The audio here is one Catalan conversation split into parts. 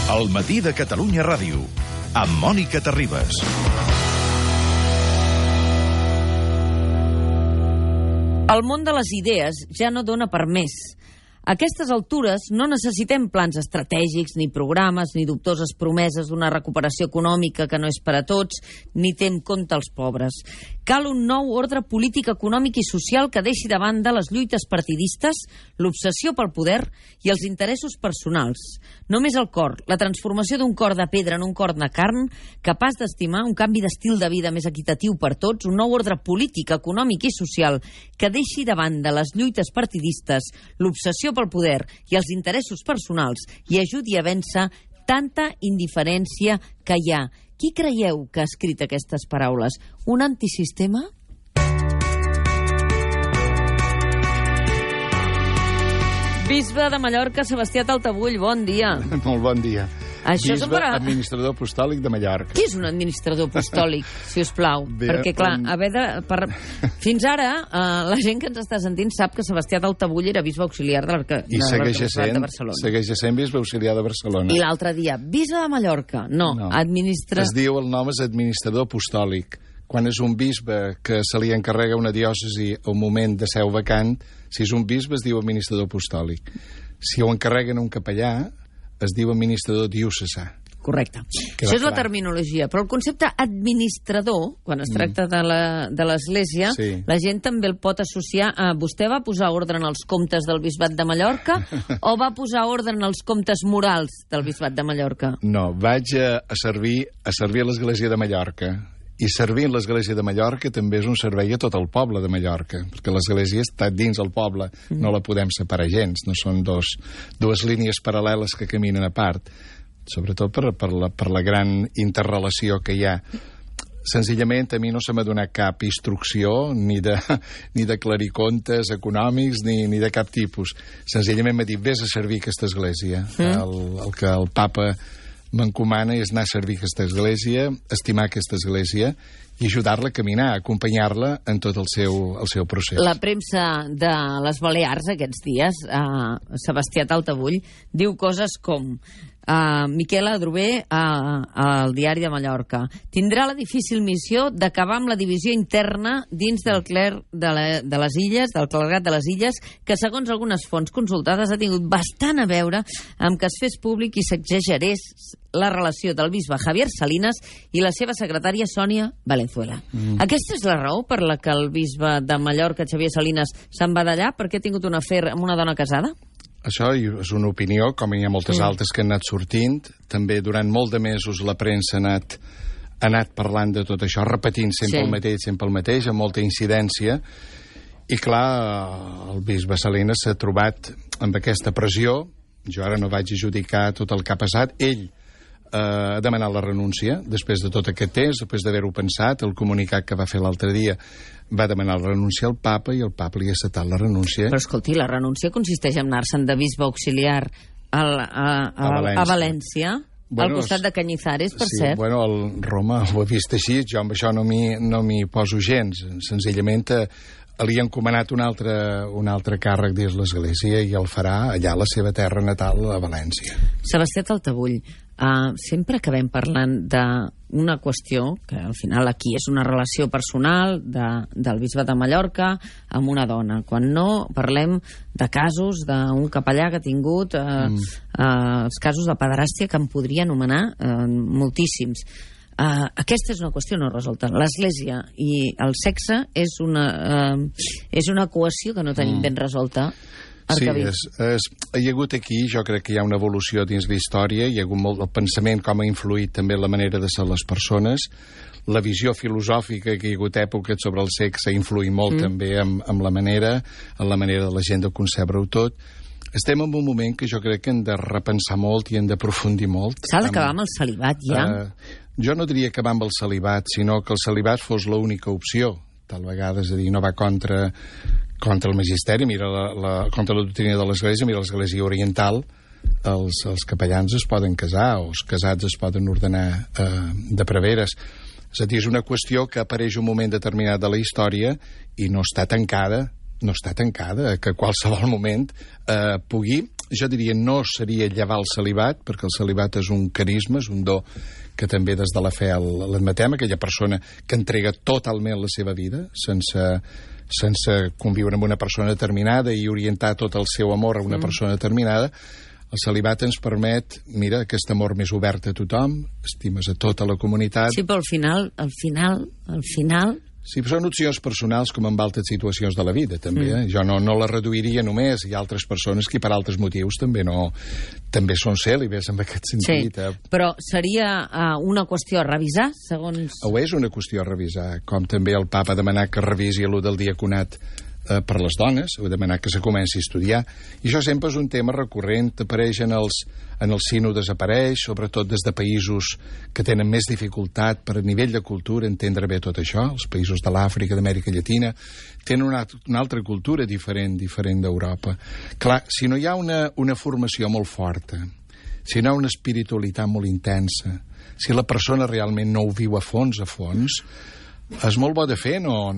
El matí de Catalunya Ràdio, amb Mònica Terribas. El món de les idees ja no dona per més. A aquestes altures no necessitem plans estratègics, ni programes, ni dubtoses promeses d'una recuperació econòmica que no és per a tots, ni té en compte els pobres. Cal un nou ordre polític, econòmic i social que deixi de banda les lluites partidistes, l'obsessió pel poder i els interessos personals. Només el cor, la transformació d'un cor de pedra en un cor de carn, capaç d'estimar un canvi d'estil de vida més equitatiu per tots, un nou ordre polític, econòmic i social que deixi de banda les lluites partidistes, l'obsessió pel poder i els interessos personals i ajudi a vèncer tanta indiferència que hi ha. Qui creieu que ha escrit aquestes paraules? Un antisistema? Bisbe de Mallorca, Sebastià Taltabull, bon dia. Molt bon dia. Això Bisbe, administrador apostòlic de Mallorca. Qui és un administrador apostòlic, si us plau? Bé, perquè, clar, fins ara, la gent que ens està sentint sap que Sebastià Taltabull era bisbe auxiliar de l'Arquebisbat de Barcelona. I segueix sent bisbe auxiliar de Barcelona. I l'altre dia, bisbe de Mallorca. No. Es diu, el nom és administrador apostòlic. Quan és un bisbe que se li encarrega una diòcesi a un moment de seu vacant, si és un bisbe es diu administrador apostòlic. Si ho encarreguen a un capellà, es diu administrador diocesà. Correcte. Això és la terminologia. Però el concepte administrador, quan es tracta de l'Església, sí, la gent també el pot associar a... Vostè va posar ordre en els comptes del Bisbat de Mallorca o va posar ordre en els comptes morals del Bisbat de Mallorca? No, vaig a servir a l'Església de Mallorca. I servir l'Església de Mallorca també és un servei a tot el poble de Mallorca, perquè l'Església està dins el poble, no la podem separar gens, no són dues línies paral·leles que caminen a part, sobretot per la gran interrelació que hi ha. Senzillament, a mi no se m'ha donat cap instrucció ni de aclarir comptes econòmics ni de cap tipus. Senzillament m'ha dit, vés a servir aquesta església. El que el papa m'encomana és anar a servir aquesta església, estimar aquesta església i ajudar-la a caminar, acompanyar-la en tot el seu procés. La premsa de les Balears aquests dies, Sebastià Taltabull, diu coses com... Miquel Adrover al Diari de Mallorca tindrà la difícil missió d'acabar amb la divisió interna dins del clergat de les Illes, que segons algunes fonts consultades ha tingut bastant a veure amb que es fes públic i s'exagerés la relació del bisbe Javier Salinas i la seva secretària Sònia Valenzuela. Aquesta és la raó per la que el bisbe de Mallorca, Xavier Salinas, se'n va d'allà perquè ha tingut un afer amb una dona casada? Això és una opinió, com hi ha moltes altres que han anat sortint. També durant molt de mesos la premsa ha anat parlant de tot això, repetint sempre el mateix, amb molta incidència. I clar, el bisbe Salinas s'ha trobat amb aquesta pressió. Jo ara no vaig adjudicar tot el que ha passat. Ell ha demanat la renúncia, després de tot aquest temps, després d'haver-ho pensat, el comunicat que va fer l'altre dia va demanar la renúncia al papa i el papa li ha acceptat la renúncia. Però escolti, la renúncia consisteix en anar-se'n de bisbe auxiliar a València, al costat de Cañizares, per cert. Bueno, el Roma ho ha vist així, jo amb això no m'hi poso gens. Senzillament li ha encomanat un altre càrrec dins l'Església i el farà allà a la seva terra natal, a València. Sebastià Taltabull, sempre acabem parlant d'una qüestió que al final aquí és una relació personal del bisbe de Mallorca amb una dona, quan no parlem de casos d'un capellà que ha tingut els casos de pederàstia que en podria anomenar moltíssims. Aquesta és una qüestió no resolta. L'Església i el sexe és una equació que no tenim ben resolta. Sí, hi ha hagut aquí, jo crec que hi ha una evolució dins la història, hi ha hagut molt el pensament, com ha influït també la manera de ser les persones, la visió filosòfica que hi ha hagut èpoques sobre el sexe ha influït molt també en la manera de la gent de concebre-ho tot. Estem en un moment que jo crec que hem de repensar molt i hem d'aprofundir molt. S'ha d'acabar amb el celibat, ja? Jo no diria acabar amb el celibat, sinó que el celibat fos l'única opció. Tal vegada, és a dir, no va contra el magisteri, mira contra la doctrina de l'Església, mira l'Església oriental, els capellans es poden casar, o els casats es poden ordenar de preveres. És a dir, és una qüestió que apareix un moment determinat de la història i no està tancada, que a qualsevol moment pugui jo diria, no seria llevar el celibat, perquè el celibat és un carisma, és un do que també des de la fe l'admetem, aquella persona que entrega totalment la seva vida, sense conviure amb una persona determinada i orientar tot el seu amor a una persona determinada. El celibat ens permet, mira, aquest amor més obert a tothom, estimes a tota la comunitat. Sí, però al final... Sí, però són opcions personals com en altres situacions de la vida, també. Jo no la reduiria només. Hi ha altres persones que per altres motius també són cèlibes en aquest sentit. Sí, però seria una qüestió a revisar, segons... Ho és una qüestió a revisar, com també el papa ha demanat que revisi allò del diaconat per les dones, ho ha demanat que se comenci a estudiar, i això sempre és un tema recurrent, apareix en els sínodes, apareix, sobretot des de països que tenen més dificultat per a nivell de cultura entendre bé tot això, els països de l'Àfrica, d'Amèrica Llatina, tenen una altra cultura diferent d'Europa. Clar, si no hi ha una formació molt forta, si no hi ha una espiritualitat molt intensa, si la persona realment no ho viu a fons, és molt bo de fer no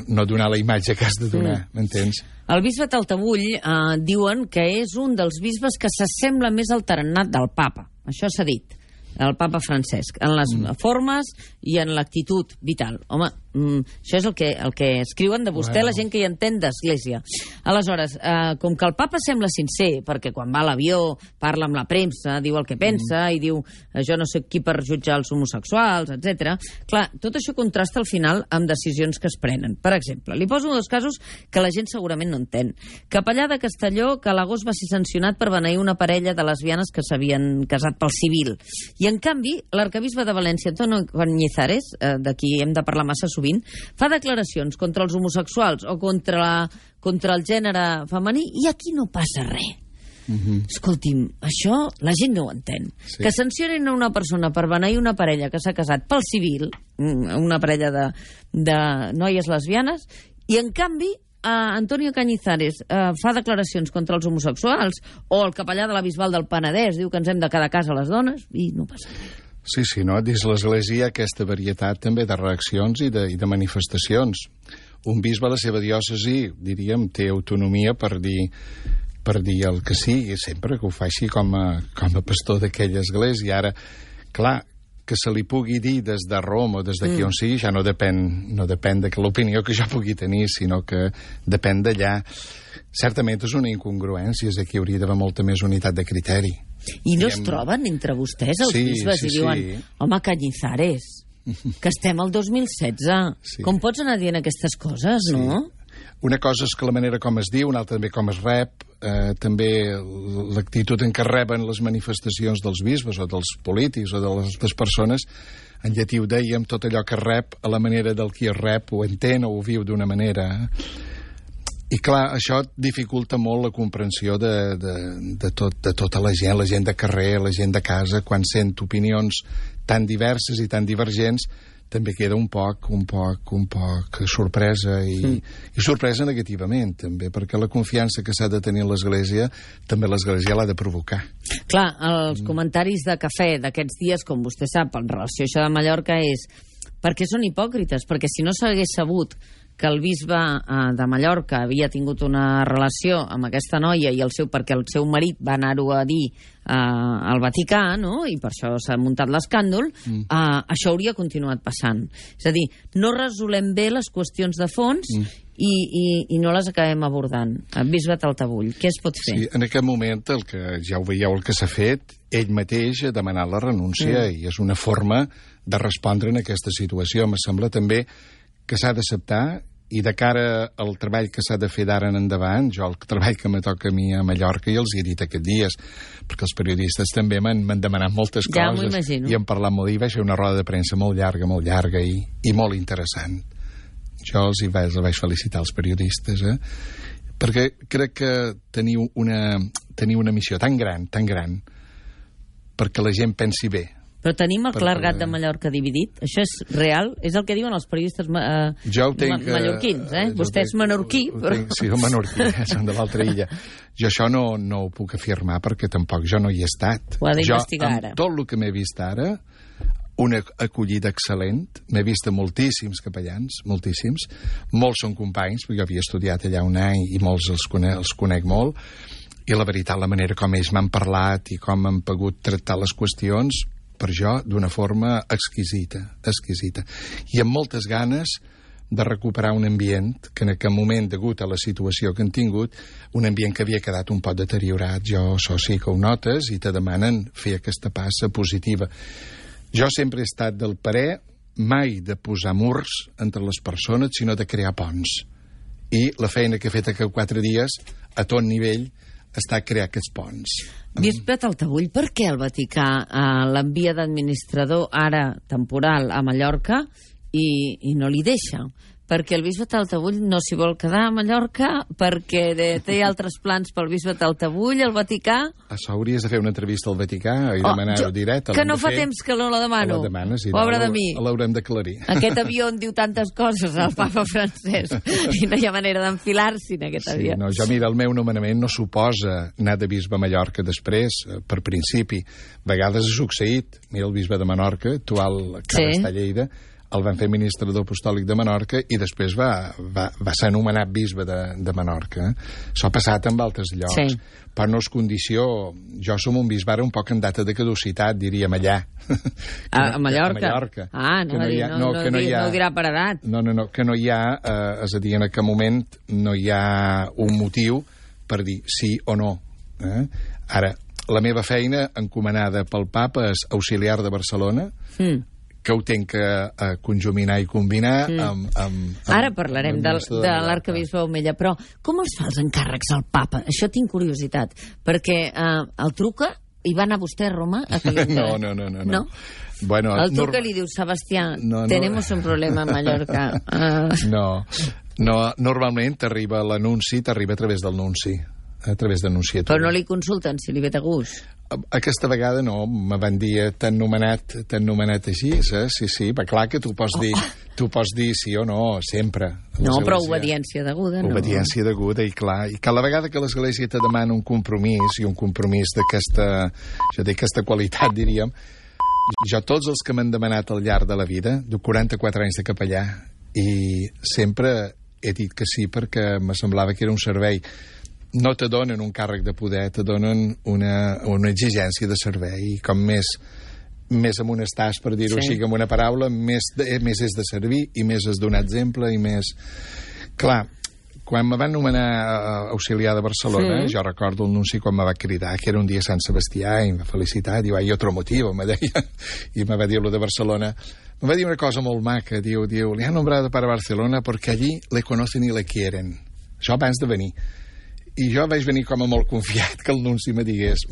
donar la imatge que has de donar, m'entens? El bisbe Taltabull diuen que és un dels bisbes que s'assembla més al tarannat del papa. Això s'ha dit, el papa Francesc, en les formes i en l'actitud vital. Home, això és el que escriuen de vostè, la gent que hi entén d'església. Aleshores, com que el papa sembla sincer, perquè quan va a l'avió parla amb la premsa, diu el que pensa i diu jo no sé qui per jutjar els homosexuals, etc. Clar, tot això contrasta al final amb decisions que es prenen. Per exemple, li poso dos casos que la gent segurament no entén. Capellà de Castelló, que a l'agost va ser sancionat per beneir una parella de lesbianes que s'havien casat pel civil. I en canvi, l'arcabisbe de València, Antonio Cañizares, de qui hem de parlar massa sovint, fa declaracions contra els homosexuals o contra el gènere femení i aquí no passa res. Escolti'm, això la gent no ho entén. Sí. Que sancionin a una persona per beneir una parella que s'ha casat pel civil, una parella de noies lesbianes, i en canvi Antonio Cañizares fa declaracions contra els homosexuals, o el capellà de la Bisbal del Penedès diu que ens hem de quedar a casa les dones, i no passa res. Sí, no? Dins l'Església hi ha aquesta varietat també de reaccions i de manifestacions. Un bisbe a la seva diòcesi, diríem, té autonomia per dir el que sigui, sempre que ho faci com a pastor d'aquella església. Ara, clar, que se li pugui dir des de Roma o des d'aquí on sigui, ja no depèn de l'opinió que jo pugui tenir, sinó que depèn d'allà. Certament és una incongruència, és que hi hauria d'haver molta més unitat de criteri. I no es troben entre vostès, els bisbes, i diuen, home, Cañizares, que estem al 2016. Sí. Com pots anar dient aquestes coses, no? Una cosa és que la manera com es diu, una altra també com es rep, també l'actitud en què reben les manifestacions dels bisbes o dels polítics o de les altres persones. En llatí ho dèiem, tot allò que rep a la manera del qui es rep ho entén o ho viu d'una manera. I clar, això dificulta molt la comprensió de tota la gent de carrer, la gent de casa, quan sent opinions tan diverses i tan divergents, també queda un poc sorpresa i sorpresa negativament, també, perquè la confiança que s'ha de tenir en l'Església, també l'Església l'ha de provocar. Clar, els comentaris de cafè d'aquests dies, com vostè sap, en relació a això de Mallorca, és perquè són hipòcrites, perquè si no s'hagués sabut que el bisbe de Mallorca havia tingut una relació amb aquesta noia perquè el seu marit va anar-ho a dir al Vaticà, no? I per això s'ha muntat l'escàndol, això hauria continuat passant. És a dir, no resolem bé les qüestions de fons i no les acabem abordant. Bisbe Taltabull, què es pot fer? Sí, en aquest moment, el que ja ho veieu, el que s'ha fet, ell mateix ha demanat la renúncia i és una forma de respondre en aquesta situació. Em sembla també que s'ha d'acceptar i de cara al treball que s'ha de fer d'ara en endavant, jo el treball que me toca a mi a Mallorca i els he dit aquests dies, perquè els periodistes també m'han demanat moltes coses. Ja m'ho imagino. I hem parlat molt, i vaig fer una roda de premsa molt llarga i molt interessant. Jo els vaig felicitar als periodistes, perquè crec que teniu una missió tan gran, perquè la gent pensi bé. Però tenim el clergat de Mallorca dividit? Això és real? És el que diuen els periodistes mallorquins, Vostè és menorquí, però... Sí, el menorquí, són de l'altra illa. Jo això no ho puc afirmar perquè tampoc jo no hi he estat. Ho ha d'investigar ara. Tot el que m'he vist ara, una acollida excel·lent, m'he vist a moltíssims capellans, moltíssims, molts són companys, perquè jo havia estudiat allà un any i molts els conec molt. I la veritat, la manera com ells m'han parlat i com han pogut tractar les qüestions, per jo, d'una forma exquisita. I amb moltes ganes de recuperar un ambient que en aquest moment, degut a la situació que han tingut, un ambient que havia quedat un poc deteriorat. Això sí que ho notes i te demanen fer aquesta passa positiva. Jo sempre he estat del parer mai de posar murs entre les persones, sinó de crear ponts. I la feina que he fet aquests 4 dies, a tot nivell, està a crear aquests ponts. Bisbe Taltabull, per què el Vaticà l'envia d'administrador ara temporal a Mallorca i no li deixa? Perquè el bisbe Taltabull no s'hi vol quedar a Mallorca, perquè té altres plans pel bisbe Taltabull, el Vaticà... Això hauries de fer una entrevista al Vaticà i demanar-ho directe. Que no fa temps que no la demano. La demanes, Pobre de mi. L'haurem d'aclarir. Aquest avió en diu tantes coses al papa francès i no hi ha manera d'enfilar-s'hi en aquest avió. No, jo, mira, el meu nomenament no suposa anar de bisbe a Mallorca després, per principi. A vegades ha succeït. Mira, el bisbe de Menorca, actual que ara està a Lleida, el van fer administrador apostòlic de Menorca i després va ser anomenat bisbe de Menorca. Això ha passat en altres llocs. Sí. Però no és condició... Jo som un bisbe ara un poc en data de caducitat, diríem allà. A Mallorca? A Mallorca. Ah, no ho dirà per edat. No, que no hi ha, és a dir, en aquest moment no hi ha un motiu per dir sí o no. Ara, la meva feina encomanada pel papa és auxiliar de Barcelona, que ho tenc que conjuminar i combinar amb ara parlarem de l'arcabisbe Omella, però com els fa els encàrrecs al papa? Això tinc curiositat, perquè el truca i va anar vostè a Roma a No? Bueno, el truca i li diu, Sebastià, tenemos un problema a Mallorca. No, normalment t'arriba l'anunci, t'arriba a través del nunci, a través d'anunciatura. Però no li consulten si li ve de gust? Aquesta vegada no, me van dir t'han nomenat així, sí, però clar que tu pots dir sí o no, sempre. No, però obediència deguda, no? Obediència deguda, i clar, i cada vegada que l'Església te demana un compromís, i un compromís d'aquesta qualitat, diríem, jo tots els que m'han demanat al llarg de la vida, de 44 anys de capellà, i sempre he dit que sí perquè me semblava que era un servei. No te donen un càrrec de poder, te donen una exigència de servei. I com més amunt estàs, per dir-ho així, amb una paraula, més és de servir i més és donar exemple i més... Clar, quan me van nomenar auxiliar de Barcelona, jo recordo el nunci quan me va cridar, que era un dia a Sant Sebastià, i em va felicitar, diu, hay otro motivo, me deia, i me va dir-lo de Barcelona. Me va dir una cosa molt maca, diu, le han nombrado para Barcelona porque allí le conocen y le quieren. Això abans de venir. I jo vaig venir com a molt confiat que el nunci me digués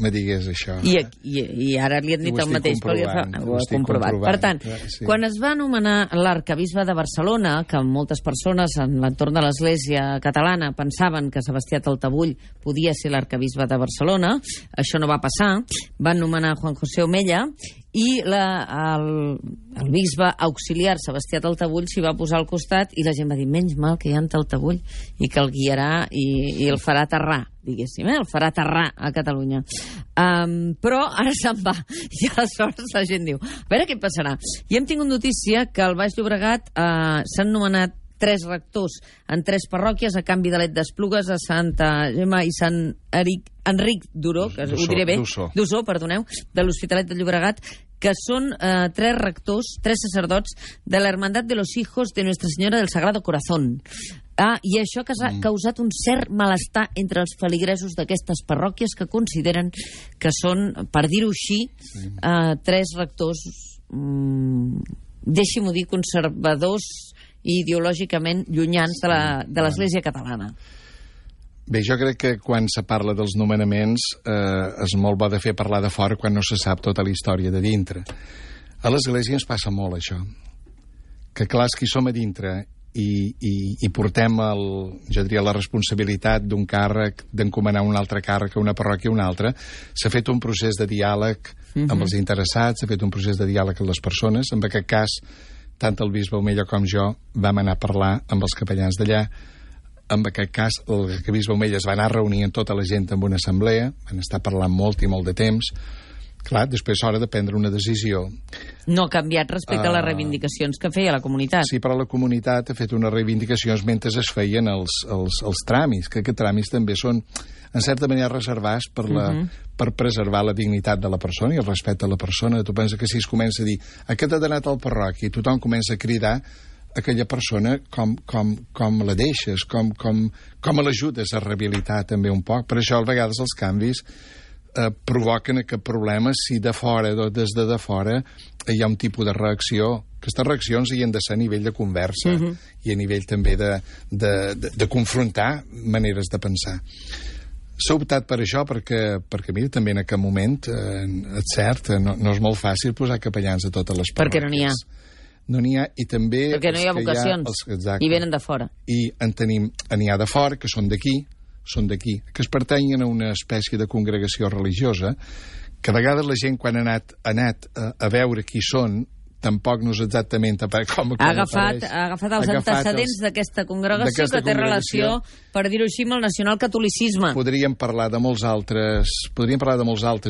això. I ara li han dit el mateix, perquè ho ha comprovat. Per tant, quan es va anomenar l'arcabisbe de Barcelona, que moltes persones en l'entorn de l'Església catalana pensaven que Sebastià Taltabull podia ser l'arcabisbe de Barcelona, això no va passar, van nomenar Juan José Omella, i el bisbe auxiliar Sebastià Taltabull s'hi va posar al costat i la gent va dir, menys mal que hi ha en Taltabull i que el guiarà i el farà aterrar, diguéssim, el farà aterrar a Catalunya. Però ara se'n va i aleshores la gent diu, a veure què passarà. I hem tingut notícia que al Baix Llobregat s'han nomenat 3 rectors en 3 parròquies a canvi de l'Et d'Esplugues, a Santa Gemma i Sant Enric d'Oró, que ho diré bé, d'Ossó, perdoneu, de l'Hospitalet de Llobregat, que són 3 rectors, 3 sacerdots de la Hermandad de los Hijos de Nuestra Señora del Sagrado Corazón. I això ha causat un cert malestar entre els feligresos d'aquestes parròquies que consideren que són, per dir-ho així, 3 rectors, deixi-m'ho dir, conservadors i ideològicament llunyans de l'Església catalana. Bé, jo crec que quan se parla dels nomenaments és molt bo de fer parlar de fora quan no se sap tota la història de dintre. A l'Església ens passa molt això, que clar, és que hi som a dintre i portem la responsabilitat d'un càrrec, d'encomanar un altre càrrec a una parròquia a una altra. S'ha fet un procés de diàleg amb els interessats, s'ha fet un procés de diàleg amb les persones. En aquest cas, tant el bisbe Omella com jo vam anar a parlar amb els capellans d'allà. En aquest cas, el bisbe Omella es va anar a reunir amb tota la gent en una assemblea, van estar parlant molt i molt de temps, Clar, després és hora de prendre una decisió. No ha canviat respecte a les reivindicacions que feia la comunitat. Sí, però la comunitat ha fet unes reivindicacions mentre es feien els tràmits, que aquests tràmits també són, en certa manera, reservats per preservar la dignitat de la persona i el respecte a la persona. Tu penses que si es comença a dir aquest ha d'anar al parroqui i tothom comença a cridar, aquella persona com la deixes, com l'ajudes a rehabilitar també un poc. Per això, a vegades, els canvis provoquen aquest problema si de fora o des de fora hi ha un tipus de reacció. Aquestes reaccions hi han de ser a nivell de conversa i a nivell també de confrontar maneres de pensar. S'ha optat per això perquè mira, també en aquest moment, és cert, no és molt fàcil posar capellans a totes les parròquies. Perquè no n'hi ha. No n'hi ha, i també... Perquè no hi ha vocacions, i venen de fora. I n'hi ha de fora, que són d'aquí, que es pertanyen a una espècie de congregació religiosa, que a vegades la gent, quan ha anat a veure qui són, tampoc no és exactament com ha agafat els antecedents d'aquesta congregació que té relació, per dir-ho així, amb el nacionalcatolicisme. Podríem parlar de molts altres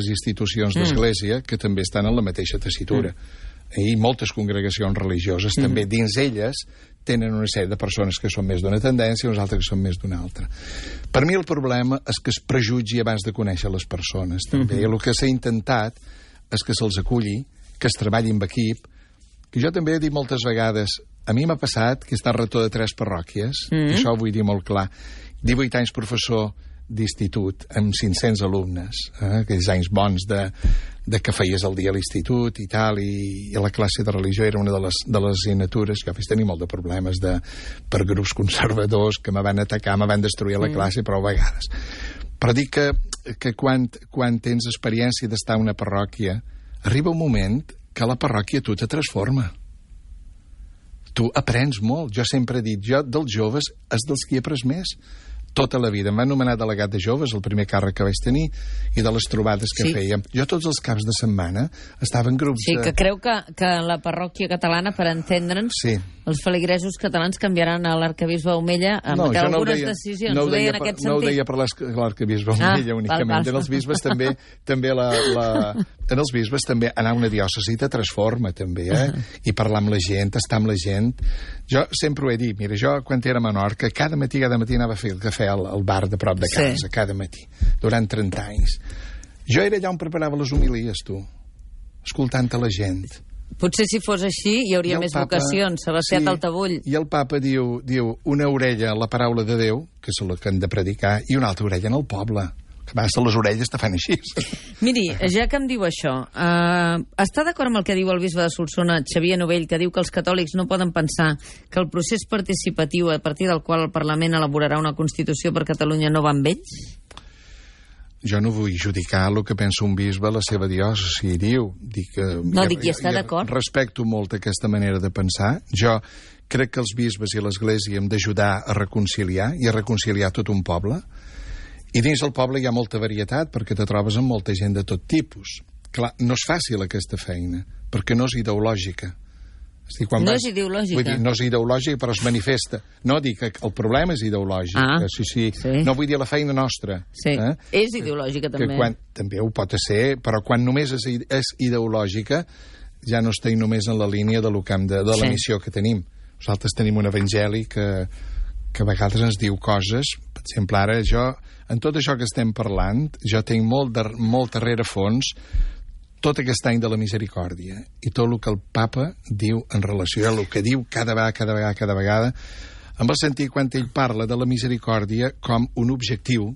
institucions d'església que també estan en la mateixa tessitura. I moltes congregacions religioses també dins elles tenen una sèrie de persones que són més d'una tendència i uns altres que són més d'una altra. Per mi el problema és que es prejutgi abans de conèixer les persones. També el que s'ha intentat és que se'ls aculli, que es treballi amb equip, que jo també he dit moltes vegades, a mi m'ha passat que he estat rector de 3 parròquies, això ho vull dir molt clar, 18 anys professor d'institut amb 500 alumnes, aquells anys bons de que feies el dia a l'institut i tal, i la classe de religió era una de les assignatures que vaig tenir molt de problemes per grups conservadors que me van atacar, me van destruir la classe prou vegades. Però dic que quan tens experiència d'estar a una parròquia, arriba un moment que la parròquia tu te transforma. Tu aprens molt. Jo sempre he dit, jo dels joves és dels qui he après més. Tota la vida. Em van nomenar delegat de joves, el primer càrrec que vaig tenir, i de les trobades que fèiem. Jo tots els caps de setmana estava en grups... Sí, que creu que la parròquia catalana, per entendre'ns, els feligresos catalans canviaran a l'arcabisbe Omella amb algunes decisions. No ho deia, en aquest sentit? No ho deia per l'arcabisbe Omella únicament. En els bisbes també en els bisbes també anar a una diòcesi te transforma també, i parlar amb la gent, estar amb la gent. Jo sempre ho he dit, mira, jo quan era a Menorca, cada matí anava a fer el cafè al bar de prop de casa, cada matí, durant 30 anys. Jo era allà on preparava les homilies, tu, escoltant a la gent. Potser si fos així hi hauria més vocacions, Sebastià Taltabull. I el papa diu una orella a la paraula de Déu, que és la que han de predicar, i una altra orella en el poble. Que a vegades les orelles te fan així. Miri, ja que em diu això, està d'acord amb el que diu el bisbe de Solsona, Xavier Novell, que diu que els catòlics no poden pensar que el procés participatiu a partir del qual el Parlament elaborarà una Constitució per Catalunya no va amb ells? Jo no vull judicar el que pensa un bisbe a la seva diòcesi, diu. I està d'acord. Respecto molt aquesta manera de pensar. Jo crec que els bisbes i l'Església hem d'ajudar a reconciliar i a reconciliar tot un poble. I dins del poble hi ha molta varietat, perquè te trobes amb molta gent de tot tipus. Clar, no és fàcil aquesta feina, perquè no és ideològica. És ideològica? Vull dir, no és ideològica, però es manifesta. No, dic que el problema és ideològic. Sí. No vull dir la feina nostra. Sí, és ideològica també. També ho pot ser, però quan només és ideològica, ja no estem només en la línia de la missió que tenim. Nosaltres tenim un evangeli que a vegades ens diu coses. Per exemple, ara jo, en tot això que estem parlant, jo tinc molt darrere fons tot aquest any de la misericòrdia i tot el que el papa diu en relació a el que diu cada vegada, en el sentit quan ell parla de la misericòrdia com un objectiu,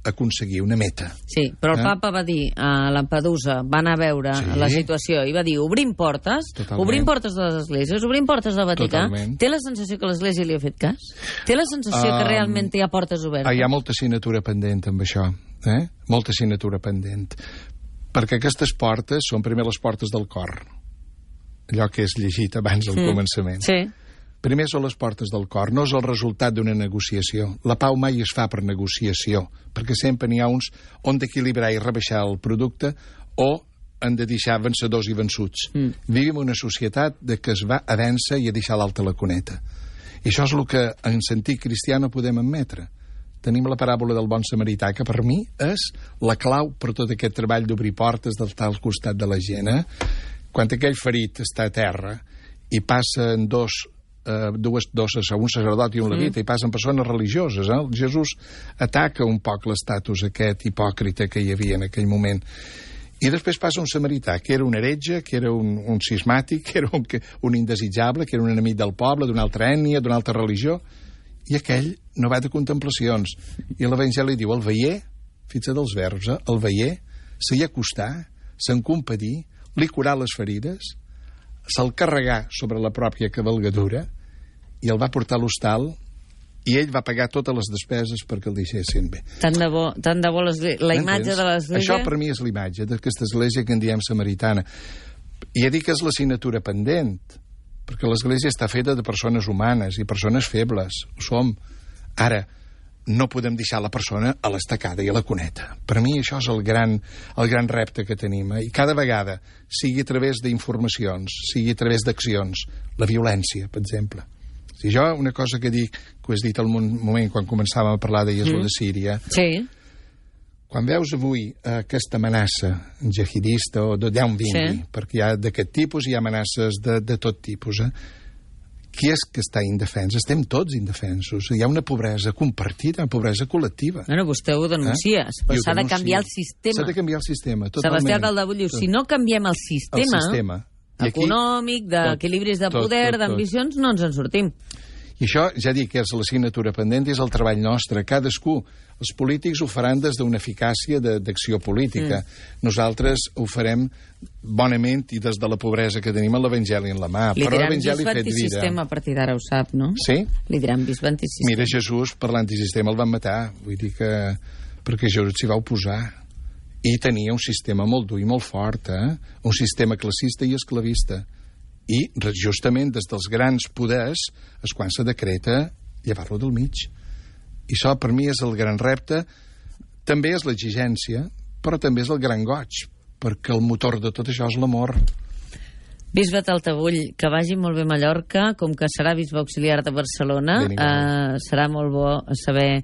aconseguir una meta. Sí, però el papa va dir a Lampedusa, va anar a veure la situació i va dir, obrim portes de les esglésies, obrim portes del Vaticà. Totalment. Té la sensació que l'església li ha fet cas? Té la sensació que realment hi ha portes obertes? Hi ha molta assignatura pendent amb això, molta assignatura pendent. Perquè aquestes portes són primer les portes del cor, allò que és llegit abans del començament. Sí. Primer són les portes del cor, no és el resultat d'una negociació. La pau mai es fa per negociació, perquè sempre n'hi ha uns on d'equilibrar i rebaixar el producte o han de deixar vencedors i vençuts. Vivim una societat que es va a vèncer i a deixar l'alta la cuneta. I això és el que en sentit cristià no podem admetre. tenim la paràbola del bon samarità, que per mi és la clau per tot aquest treball d'obrir portes, d'estar al costat de la gent. Quan aquell ferit està a terra i passen dos, un sacerdot i un levita, i passen persones religioses. Jesús ataca un poc l'estatus aquest hipòcrita que hi havia en aquell moment. I després passa un samarità, que era un heretge, que era un cismàtic, que era un indesitjable, que era un enemic del poble, d'una altra ètnia, d'una altra religió, i aquell no va de contemplacions. I l'Evangeli diu, el veier, fixa't els verbs, el veier, s'hi acostà, se'n compadir, li curà les ferides, se'l carregà sobre la pròpia cavalgadura i el va portar a l'hostal i ell va pagar totes les despeses perquè el deixessin bé. Tant de bo la imatge de l'església... Això per mi és l'imatge d'aquesta església que en diem samaritana. I ja dic que és la signatura pendent, perquè l'església està feta de persones humanes i persones febles. Ho som. Ara, no podem deixar la persona a l'estacada i a la cuneta. Per mi això és el gran repte que tenim. I cada vegada, sigui a través d'informacions, sigui a través d'accions, la violència, per exemple. Si jo, una cosa que dic, que ho has dit al moment quan començàvem a parlar de Síria, sí. Quan veus avui aquesta amenaça jihadista o d'allà on vingui, perquè hi ha d'aquest tipus i hi ha amenaces de tot tipus, qui és que està indefens? Estem tots indefensos. Hi ha una pobresa compartida, una pobresa col·lectiva. Bueno, vostè ho denuncia, però s'ha de canviar el sistema. S'ha de canviar el sistema, totalment. Sebastià Caldabull diu, si no canviem el sistema econòmic, d'equilibris de poder, d'ambicions, no ens en sortim. I això, ja dic, és la signatura pendent, és el treball nostre. Cadascú, els polítics ho faran des d'una eficàcia d'acció política. Nosaltres ho farem bonament i des de la pobresa que tenim l'Evangeli en la mà. Li però diran l'Evangeli bisbe fet vida. Antisistema a partir d'ara, ho sap, no? Sí? Li diran bisbe antisistema. Mira, Jesús, per l'antisistema el van matar. Vull dir que... perquè Jesús s'hi va oposar. I tenia un sistema molt dur i molt fort, un sistema classista i esclavista. I justament des dels grans poders és quan se decreta llevar-lo del mig. I això per mi és el gran repte. També és l'exigència, però també és el gran goig, perquè el motor de tot això és l'amor. Bisbe Taltabull, que vagi molt bé a Mallorca, com que serà bisbe auxiliar de Barcelona, serà molt bo saber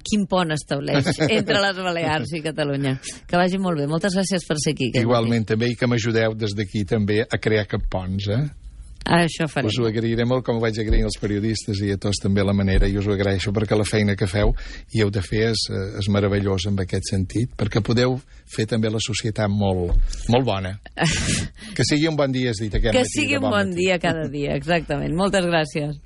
quin pont estableix entre les Balears i Catalunya. Que vagi molt bé. Moltes gràcies per ser aquí. Igualment, també, i que m'ajudeu des d'aquí també a crear cap ponts, Això farem. Us ho agrairé molt, com ho vaig agrair als periodistes i a tots també la manera, i us ho agraeixo perquè la feina que feu i heu de fer és meravellosa en aquest sentit, perquè podeu fer també la societat molt, molt bona. Que sigui un bon dia, has dit aquest matí. Que sigui un bon dia cada dia, exactament. Moltes gràcies.